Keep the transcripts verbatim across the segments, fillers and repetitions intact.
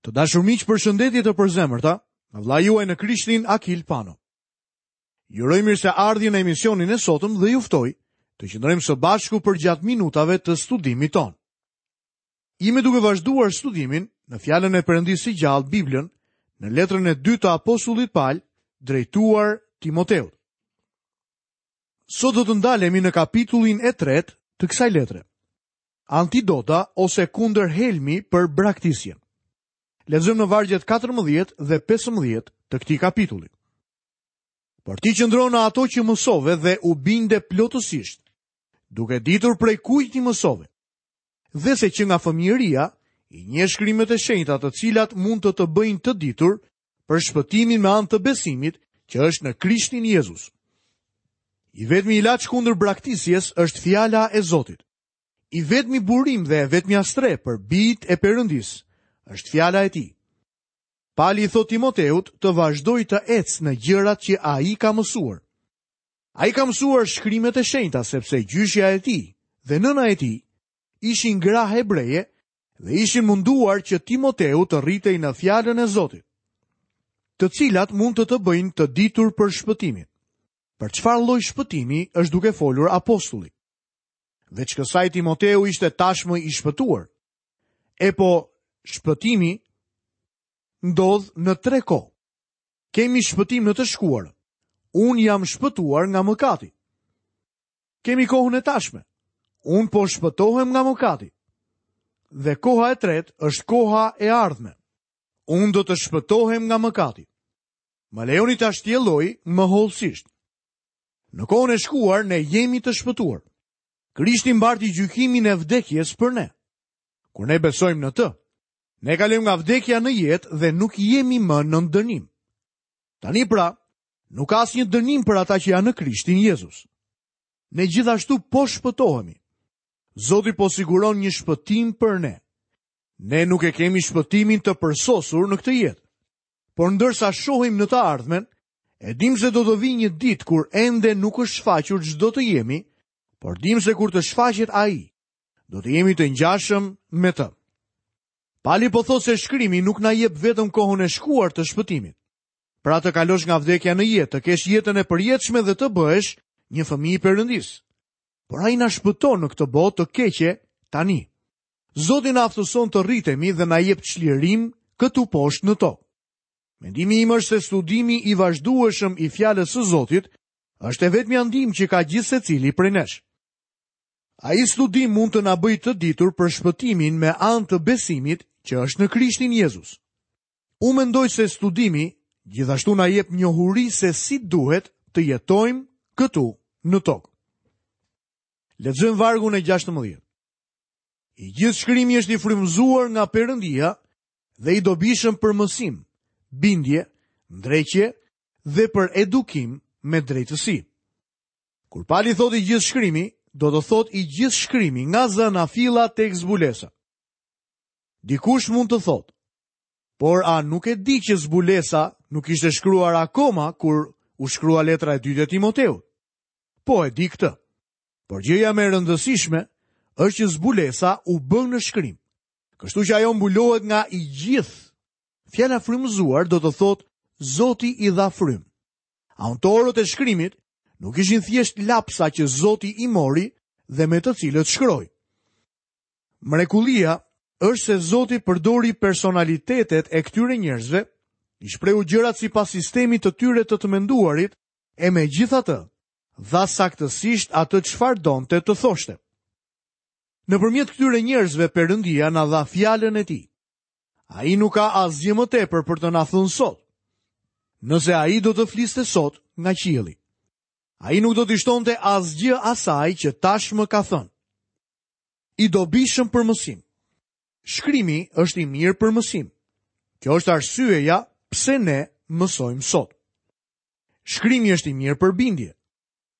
Të dashur miq, përshëndetje të përzemërta, nga vëllai juaj në Krishtin Akil Pano. Ju uroj mirëseardhjen në emisionin e sotëm dhe ju ftoj të qëndrojmë së bashku përgjatë minutave të studimit tonë. Jemi duke vazhduar studimin në fjalën e Perëndisë së gjallë, Biblën, në letrën e dytë të apostullit Paul drejtuar Timoteut. Sot do të ndalemi në kapitullin e tretë të kësaj letre. Antidota ose kundërhelmi për braktisjen. Lexojmë në vargjet katërmbëdhjetë dhe pesëmbëdhjetë të këtij kapitulli. Por ti qëndro në ato që mësove dhe u binde plotësisht, duke ditur prej kujt ti mësove. Dhe se që nga fëmijëria i njeh shkrimet e shenjta të cilat mund të të bëjnë të ditur për shpëtimin me anë të besimit që është në Krishtin Jezus. I vetmi ilaç kundër braktisjes është fjala e Zotit. I vetmi burim dhe e vetmja strehë për bijtë e Perëndisë është fjala e tij. Pali i thot Timoteut të vazhdojë të ecë në gjërat që ai ka mësuar. Ai ka mësuar shkrimet e shenjta sepse gjyshja e tij dhe nëna e tij ishin gra hebreje dhe ishin munduar që Timoteu të rritej në fjalën e Zotit, të cilat mund të të bëjnë të ditur për shpëtimin. Për çfarë lloj shpëtimi është duke folur apostulli? Veç kësaj Timoteu ishte tashmë i shpëtuar. E po, shpëtimi ndodh në tre kohë. Kemi shpëtim në të shkuarën. Unë jam shpëtuar nga mëkati. Kemi kohën e tashme. Unë po shpëtohem nga mëkati. Dhe koha e tretë është koha e ardhme. Unë do të shpëtohem nga mëkati. Më lejoni ta shtjelloj më hollësisht. Në kohën e shkuar ne jemi të shpëtuar. Krishti mbarti gjykimin e vdekjes për ne. Kur ne besojmë në të, ne kalojmë nga vdekja në jetë dhe nuk jemi më në dënim. Tani pra, nuk ka asnjë dënim për ata që janë në Krishtin Jezus. Ne gjithashtu po shpëtohemi. Zoti po siguron një shpëtim për ne. Ne nuk e kemi shpëtimin të përsosur në këtë jetë. Por ndërsa shohim në të ardhmen, e dim se do të vijë një ditë kur ende nuk është shfaqur ç'do të jemi, por dim se kur të shfaqet ai, do të jemi të ngjashëm me të. Pali po thotë se shkrimi nuk na jep vetëm kohën e shkuar të shpëtimit. Pra të kalosh nga vdekja në jetë, të kesh jetën e përjetshme dhe të bëhesh një fëmijë i Perëndisë. Por ai na shpëton në këtë botë të keqe tani. Zoti na aftëson të rritemi dhe na jep çlirim këtu poshtë në tokë. Mendimi im është se studimi i vazhdueshëm i fjalës së Zotit është e vetmja ndihmë që ka gjithë secili prej nesh. Ai studim mund të na bëjë të ditur për shpëtimin me anë të besimit që është në Krishtin Jezus. Unë mendoj se studimi gjithashtu na jep njohuri se si duhet të jetojmë këtu në tokë. Lexojmë vargun e gjashtëmbëdhjetë. I gjithë shkrimi është i frymëzuar nga Perëndia dhe i dobishëm për mësim, bindje, ndreqje dhe për edukim me drejtësi. Kur Pali thotë i gjithë shkrimi, do të thotë i gjithë shkrimi nga zanafilla tek zbulesa. Dikush mund të thotë, por a nuk e di që zbulesa nuk ishte shkruar akoma kur u shkrua letra e dytë e Timoteut? Po e di këtë. Por gjëja më e rëndësishme është që zbulesa u bë në shkrim. Kështu që ajo mbulohet nga i gjithë. Fjala frymëzuar do të thotë Zoti i dha frym. Autorët e shkrimit nuk ishin thjesht lapsa që Zoti i mori dhe me të cilët shkroi. Mrekullia është se Zoti përdori personalitetet e këtyre njerëzve, i shprehu gjërat sipas sistemit të tyre të të menduarit, e megjithatë dha saktësisht atë çfarë donte të thoshte. Nëpërmjet këtyre njerëzve Perëndia na dha fjalën e tij. Ai nuk ka asgjë më tepër për të na thënë sot. Nëse ai do të fliste sot nga qielli, ai nuk do t'i shtonte asgjë asaj që tashmë ka thënë. I dobishëm për mësim. Shkrimi është i mirë për mësim. Kjo është arsyeja pse ne mësojmë sot. Shkrimi është i mirë për bindje.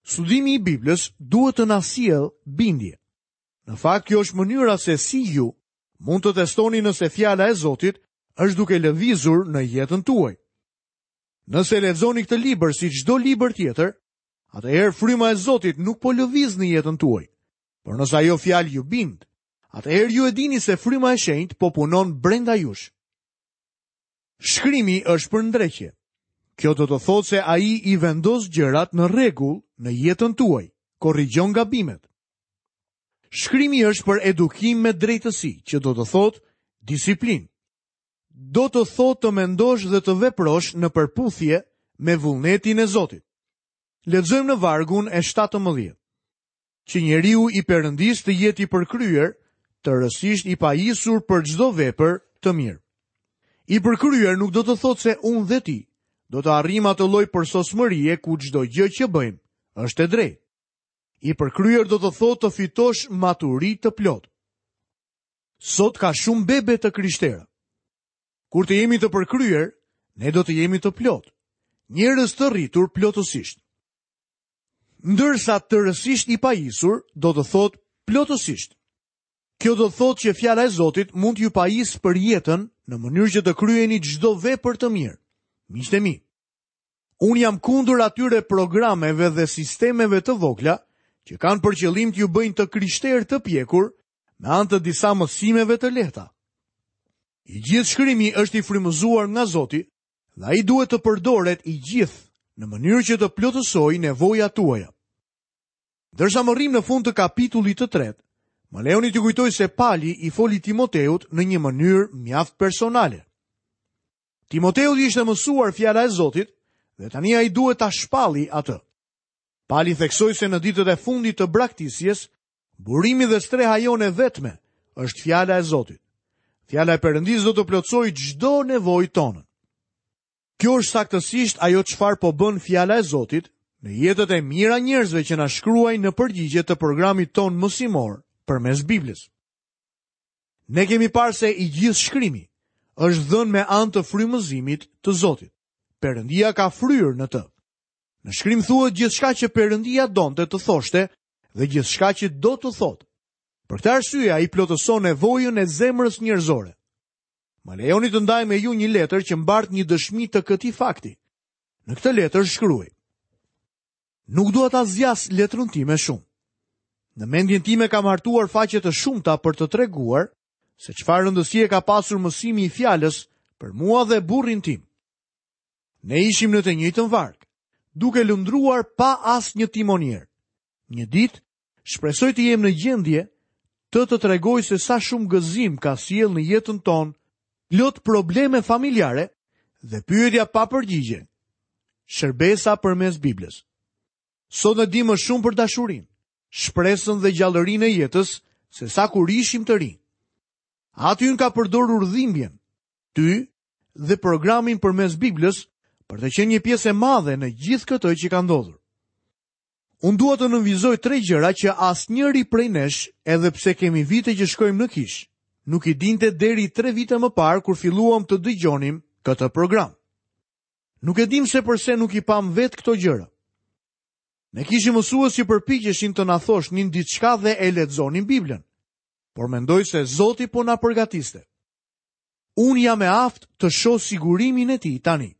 Studimi i Biblës duhet të na sjellë bindje. Në fakt, kjo është mënyra se si ju mund të testoni nëse fjala e Zotit është duke lëvizur në jetën tuaj. Nëse lexoni këtë libër si çdo libër tjetër, atëherë fryma e Zotit nuk po lëviz në jetën tuaj. Por nëse ajo fjalë ju bind, atëherë ju e dini se fryma e shenjtë po punon brenda jush. Shkrimi është për ndreqje. Kjo do të thotë se ai i vendos gjërat në rregull në jetën tuaj, korrigjon gabimet. Shkrimi është për edukim me drejtësi, që do të thotë disiplinë. Do të thotë të mendosh dhe të veprosh në përputhje me vullnetin e Zotit. Lexojmë në vargun e shtatëmbëdhjetë. Që njeriu i Perëndisë të jetë i përkryer, tërësisht i pajisur për çdo vepër të mirë. I përkryer nuk do të thotë se unë dhe ti do të arrijmë atë lloj përsosmërie ku çdo gjë që bëjmë është e drejtë. I përkryer do të thotë të fitosh maturi të plotë. Sot ka shumë bebe të krishtera. Kur të jemi të përkryer, ne do të jemi të plotë, njerëz të rritur plotësisht. Ndërsa tërësisht i pajisur do të thotë plotësisht. Kjo do të thotë që fjala e Zotit mund t'ju pajisë për jetën në mënyrë që të kryeni çdo vepër të mirë. Miqtë e mi, unë jam kundër atyre programeve dhe sistemeve të vogla që kanë për qëllim t'ju bëjnë të krishterë të pjekur me anë të disa mësimeve të lehta. I gjithë shkrimi është i frymëzuar nga Zoti dhe ai duhet të përdoret i gjithë në mënyrë që të plotësojë nevojat tuaja. Ndërsa mbërrijmë në fund të kapitullit të tretë, më lejoni t'ju kujtoj se Pali i foli Timoteut në një mënyrë mjaft personale. Timoteut i ishte mësuar fjala e Zotit dhe tani ai duhet ta shpalli atë. Pali theksoi se në ditët e fundit të braktisjes, burimi dhe streha jonë e vetme është fjala e Zotit. Fjala e Perëndisë do të plotësojë çdo nevojë tonën. Kjo është saktësisht ajo çfarë po bën fjala e Zotit në jetët e mijëra njerëzve që na shkruajnë në përgjigje të programit ton mësimor përmes Biblës. Ne kemi parë se i gjithë shkrimi është dhënë me anë të frymëzimit të Zotit. Perëndia ka fryrë në të. Në shkrim thuhet gjithçka që Perëndia donte të thoshte dhe gjithçka që do të thotë. Për këtë arsye ai plotëson nevojën e zemrës njerëzore. Më lejoni të ndaj me ju një letër që mbart një dëshmi të këtij fakti. Në këtë letër shkruaj: Nuk dua ta zgjas letrën time shumë. Në mendjen time kam hartuar faqe të shumta për të treguar se çfarë rëndësie ka pasur mësimi i fjalës për mua dhe burrin tim. Ne ishim në të njëjtën varkë, duke lundruar pa asnjë timonier. Një ditë, shpresoj të jem në gjendje të të tregoj se sa shumë gëzim ka sjellë në jetën tonë plot probleme familjare dhe pyetja pa përgjigje. Shërbesa përmes Biblës. Sot ne dimë shumë për dashurinë, shpresën dhe gjallërinë e jetës se sa kur ishim të rinj. Aty unë ka përdorur dhimbjen, ty dhe programin përmes Biblës për të qenë një pjesë e madhe në gjithë këtë që ka ndodhur. Unë dua të nënvizoj tre gjëra që asnjëri prej nesh, edhe pse kemi vite që shkojmë në kishë, nuk i dinte deri tre vite më parë kur filluam të dëgjonim këtë program. Nuk e dim se përse nuk i pam vetë këto gjëra. Ne kishim mësues që përpiqeshin të na thoshnin diçka dhe e lexonin Biblën, por mendoj se Zoti po na përgatiste. Unë jam e aftë të shoh sigurimin e tij tani.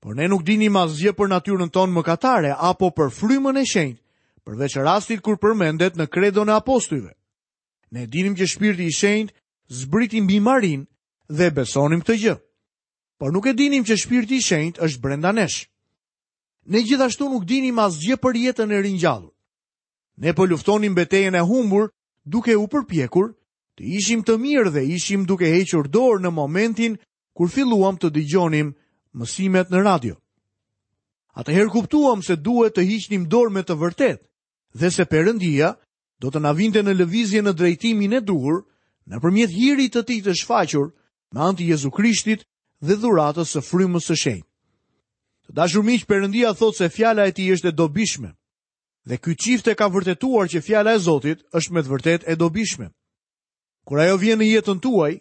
Por ne nuk dinim asgjë për natyrën tonë mëkatare apo për frymën e shenjtë, përveç rastit kur përmendet në kredon e apostujve. Ne dinim që Shpirti i Shenjtë zbriti mbi Marin dhe besonim këtë gjë. Por nuk e dinim që Shpirti i Shenjtë është brenda nesh. Ne gjithashtu nuk dinim asgjë për jetën e ringjallur. Ne po luftonim betejën e humbur duke u përpjekur të ishim të mirë dhe ishim duke hequr dorë në momentin kur filluam të dëgjonim mësimet në radio. Atëherë kuptuam se duhet të hiqnim dorë me të vërtetë dhe se Perëndia do të na vinte në lëvizje në drejtimin e duhur nëpërmjet hirit të tij të shfaqur me anë të Jezu Krishtit dhe dhuratës së frymës së shenjtë. Të dashur miq, Perëndia thotë se fjala e tij është e dobishme. Dhe ky çift e ka vërtetuar që fjala e Zotit është me të vërtetë e dobishme. Kur ajo vjen në jetën tuaj,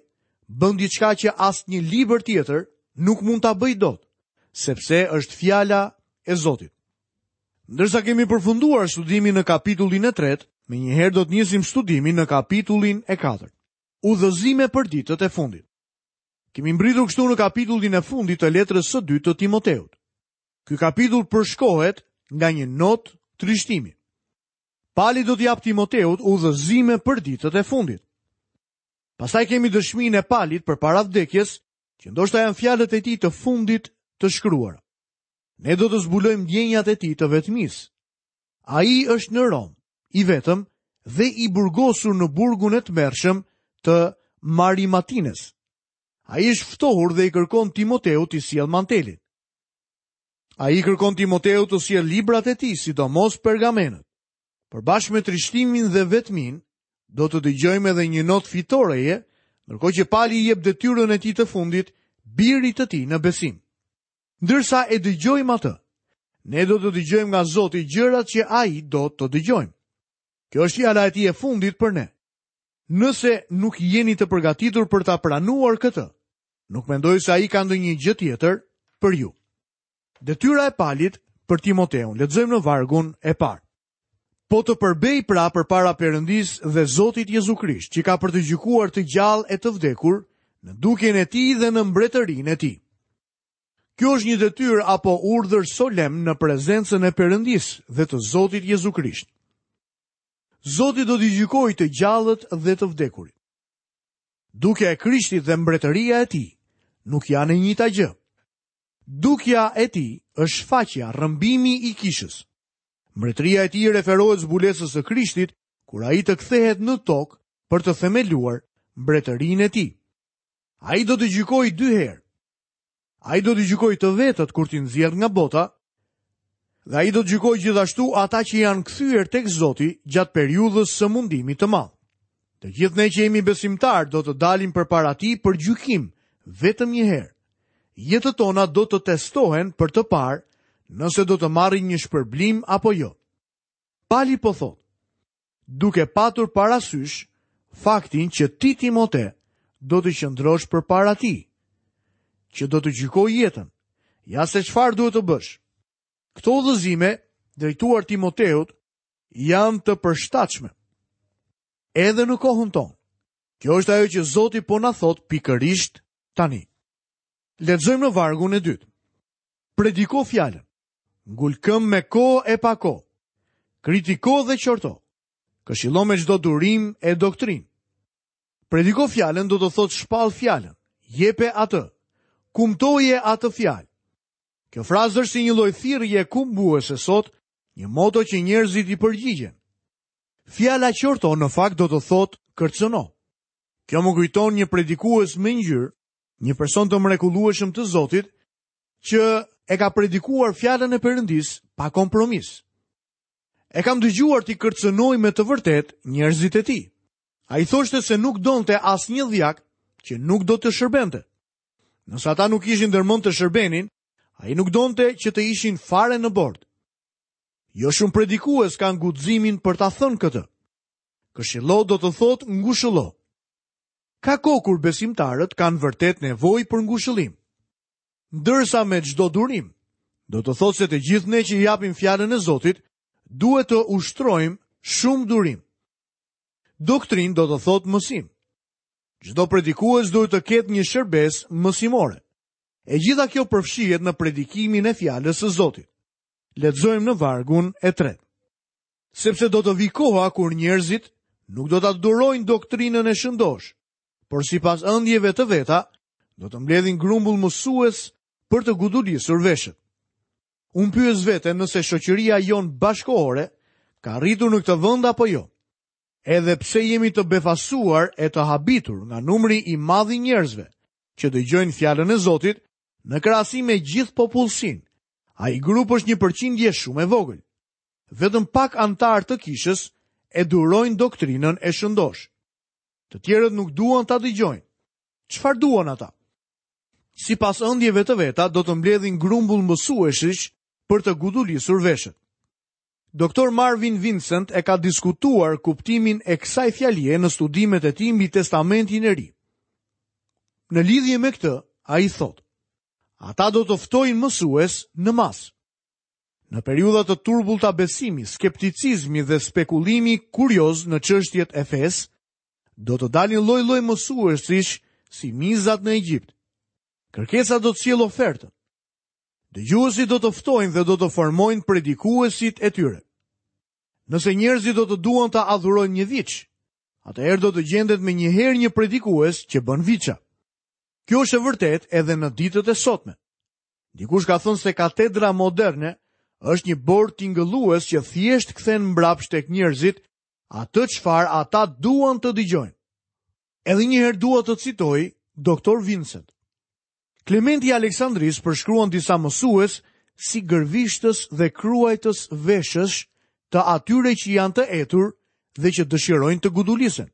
bën diçka që asnjë libër tjetër nuk mund ta bëj dot, sepse është fjala e Zotit. Ndërsa kemi përfunduar studimin në kapitullin e tretë, menjëherë do të nisim studimin në kapitullin e katërt. Udhëzime për ditët e fundit. Kemi mbritur kështu në kapitullin e fundit të letrës së dytë të Timoteut. Ky kapitull përshkohet nga një notë trishtimi. Pali do t'i jap Timoteut udhëzime për ditët e fundit. Pastaj kemi dëshminë e Palit përpara vdekjes, që ndoshta janë fjalët e tij të fundit të shkruara. Ne do të zbulojmë ndjenjat e tij të vetmisë. Ai është në Romë, i vetëm dhe i burgosur në burgun e tmerrshëm të Marimatines. Ai është ftohur dhe i kërkon Timoteut t'i sjellë mantelin. Ai i kërkon Timoteut të sjellë librat e tij, sidomos pergamenët. Por bashkë me trishtimin dhe vetmin, do të dëgjojmë edhe një notë fitoreje, ndërkohë që Pali i jep detyrën e tij të fundit birit të tij në besim. Ndërsa e dëgjojmë atë, ne do të dëgjojmë nga Zoti gjërat që ai do të dëgjojmë. Kjo është fjala e tij e fundit për ne. Nëse nuk jeni të përgatitur për ta pranuar këtë, nuk mendoj se ai ka ndonjë gjë tjetër për ju. Detyra e Palit për Timoteun, lexojmë në vargun e parë. Po të përbej pra përpara Perëndisë dhe Zotit Jezu Krisht, që ka për të gjykuar të gjallë e të vdekur, në dukjen e tij dhe në mbretërinë e tij. Kjo është një detyrë apo urdhër solemn në prezencën e Perëndisë dhe të Zotit Jezu Krisht. Zoti do t'i gjykojë të gjallët dhe të vdekurit. Dukja e Krishtit dhe mbretëria e tij nuk janë e njëjta gjë. Dukja e tij është shfaqja, rrëmbimi i kishës. Mbretëria e tij referohet zbulesës së Krishtit kur ai të kthehet në tokë për të themeluar mbretërinë e tij. Ai do të gjykojë dy herë. Ai do të gjykojë të vetët kur t'i nxjerr nga bota, dhe ai do të gjykojë gjithashtu ata që janë kthyer tek Zoti gjatë periudhës së mundimit të madh. Të gjithë ne që jemi besimtar do të dalim përpara tij për gjykim vetëm një herë. Jetët tona do të testohen për të parë nëse do të marrin një shpërblim apo jo. Pali po thotë, duke patur parasysh faktin që ti Timote do të qëndrosh përpara tij, që do të gjykojë jetën. Ja se çfarë duhet të bësh. Këto udhëzime drejtuar Timoteut janë të përshtatshme edhe në kohën tonë. Kjo është ajo që Zoti po na thotë pikërisht tani. Lexojmë në vargun e dytë. Prediko fjalën. Ngul këmbë me kohë e pa kohë. Kritiko dhe qorto. Këshillo me çdo durim e doktrinë. Prediko fjalën do të thotë shpall fjalën. Jepe atë. Kumtoje atë fjalë. Kjo frazë është si një lloj thirrje kumbuese sot, një moto që njerëzit i përgjigjen. Fjala qorto në fakt do të thotë kërcëno. Kjo më kujton një predikues me ngjyrë, një person të mrekullueshëm të Zotit, që e ka predikuar fjalën e Perëndisë pa kompromis. E kam dëgjuar t'i kërcënoj me të vërtetë njerëzit e tij. Ai thoshte se nuk donte asnjë dhjak që nuk do të shërbente. Nëse ata nuk ishin ndërmend të shërbenin, ai nuk donte që të ishin fare në bord. Jo shumë predikues kanë guximin për ta thënë këtë. Këshillo do të thotë ngushëllo. Ka kohë kur besimtarët kanë vërtet nevojë për ngushëllim. Ndërsa me çdo durim, do të thotë se të gjithë ne që japim fjalën e Zotit, duhet të ushtrojmë shumë durim. Doktrinë do të thotë mësim. Çdo predikues duhet të ketë një shërbesë mësimore. E gjitha kjo përfshihet në predikimin e fjalës së Zotit. Lexojmë në vargun e tretë. Sepse do të vi koha kur njerëzit nuk do ta durojnë doktrinën e shëndosh, por sipas ëndjeve të veta, do të mbledhin grumbull mësues për të gudulisur veshët. Unë pyes veten nëse shoqëria jonë bashkohore ka arritur në këtë vend apo jo. Edhe pse jemi të befasuar e të habitur nga numri i madh i njerëzve që dëgjojnë fjalën e Zotit në krahasim me gjithë popullsinë, ai grup është një përqindje shumë e vogël. Vetëm pak anëtarë të kishës e durojnë doktrinën e shëndosh. Të tjerët nuk duan ta dëgjojnë. Çfarë duan ata? Sipas ëndjeve të veta do të mbledhin grumbull mësuesish për të gudulisur veshët. Doktor Marvin Vincent e ka diskutuar kuptimin e kësaj fjalie në studimet e tij mbi Testamentin e Ri. Në lidhje me këtë, ai thotë: Ata do të ftojnë mësues në masë. Në periudha të turbullta besimi, skepticizmi dhe spekulimi kurioz në çështjet e fesë, do të dalin lloj-lloj mësuesish si mizat në Egjipt. Kërkesa do të sjellë ofertën. Dëgjuesit do të ftojnë dhe do të formojnë predikuesit e tyre. Nëse njerëzit do të duan të adhurojnë një viç, atëherë do të gjendet me një herë një predikues që bën viça. Kjo është e vërtetë edhe në ditët e sotme. Dikush ka thënë se katedra moderne është një bord tingëllues që thjesht kthen mbrapsht tek njerëzit atë çfarë ata duan të dëgjojnë. Edhe një herë dua të citoj doktor Vincent. Klementi i Aleksandrisë përshkruan disa mësues si gërvishtës dhe kruajtës veshësh të atyre që janë të etur dhe që dëshirojnë të gudulisen.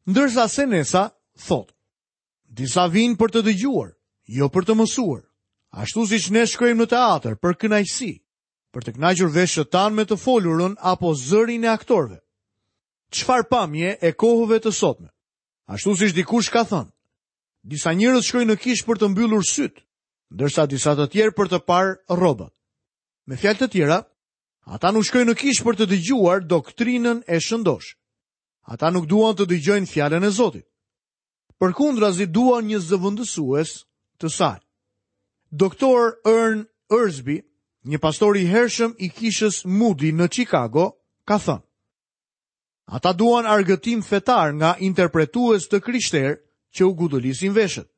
Ndërsa Senesa thotë, disa vinë për të dëgjuar, jo për të mësuar, ashtu siç ne shkojmë në teatr për kënaqësi, për të kënaqur veshët tanë me të folurën apo zërin e aktorëve. Çfarë pamje e kohëve të sotme? Ashtu siç dikush ka thënë, disa njerëz shkojnë në kishë për të mbyllur syt, ndërsa disa të tjerë për të parë rrobat. Me fjalë të tjera, ata nuk shkojnë në kishë për të dëgjuar doktrinën e shëndosh. Ata nuk duan të dëgjojnë fjalën e Zotit. Përkundrazi duan një zëvendësues të saj. Doktor Ern Ersby, një pastor i hershëm i kishës Moody në Chicago, ka thënë: Ata duan argëtim fetar nga interpretues të krishterë që u gudulisin veshët.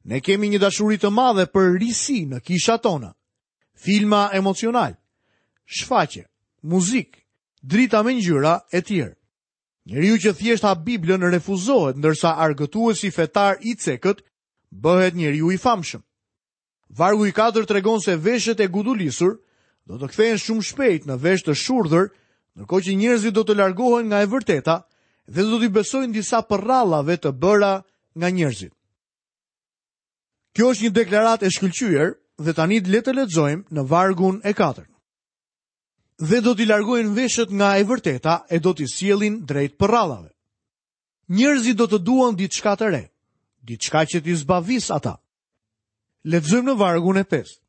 Ne kemi një dashuri të madhe për risi në kishat tona. Filma emocional, shfaqje, muzikë, drita me ngjyra e tjerë. Njeriu që thjesht hap Biblën refuzohet, ndërsa argëtuesi fetar i cekët bëhet njeriu i famshëm. Vargu i katër tregon se veshët e gudulisur do të kthehen shumë shpejt në vesh të shurdhër, ndërkohë që njerëzit do të largohen nga e vërteta dhe do t'i besojnë disa përrallave të bëra nga njerëzit. Kjo është një deklaratë e shkëlqyer dhe tani le të lexojmë në vargun e katërt. Dhe do t'i largojnë veshët nga e vërteta e do t'i sjellin drejt përrallave. Njerëzit do të duan diçka të re, diçka që t'i zbavis ata. Lexojmë në vargun e pestë.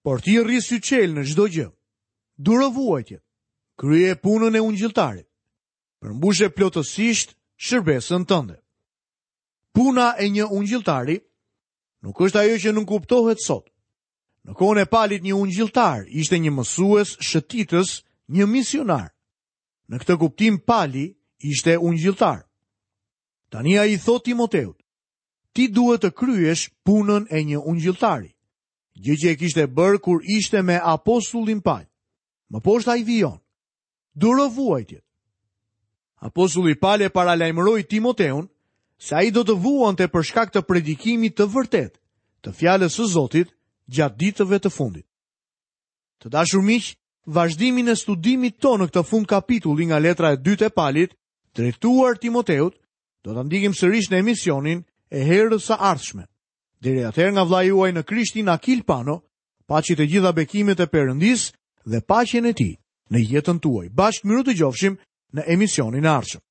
Por ti rri syçel në çdo gjë. Duro vuajtjet. Krye punën e ungjilltarit. Përmbushe plotësisht shërbesën tënde. Puna e një ungjilltari nuk është ajo që nuk kuptohet sot. Në kohën e Palit një ungjilltar ishte një mësues shëtitës, një misionar. Në këtë kuptim Pali ishte ungjilltar. Tani ai i thot Timoteut, ti duhet të kryesh punën e një ungjilltari, gjë që e kishte bërë kur ishte me apostullin Pal. Më poshtë ai vijon, duro vuajtjet. Apostulli Pal e paralajmëroi Timoteun se ai do të vuante për shkak të predikimit të vërtetë, të fjalës së Zotit gjatë ditëve të fundit. Të dashur miq, vazhdimin e studimit tonë në këtë fund kapitulli nga letra e dytë e Palit, drejtuar Timoteut, do ta ndjekim sërish në emisionin e herës së ardhshme. Deri atëherë nga vllai juaj në Krishtin Akil Pano, paçi të gjitha bekimet e Perëndisë dhe paqen e tij në jetën tuaj. Bashkë mirudëgjofshim në emisionin e ardhshëm.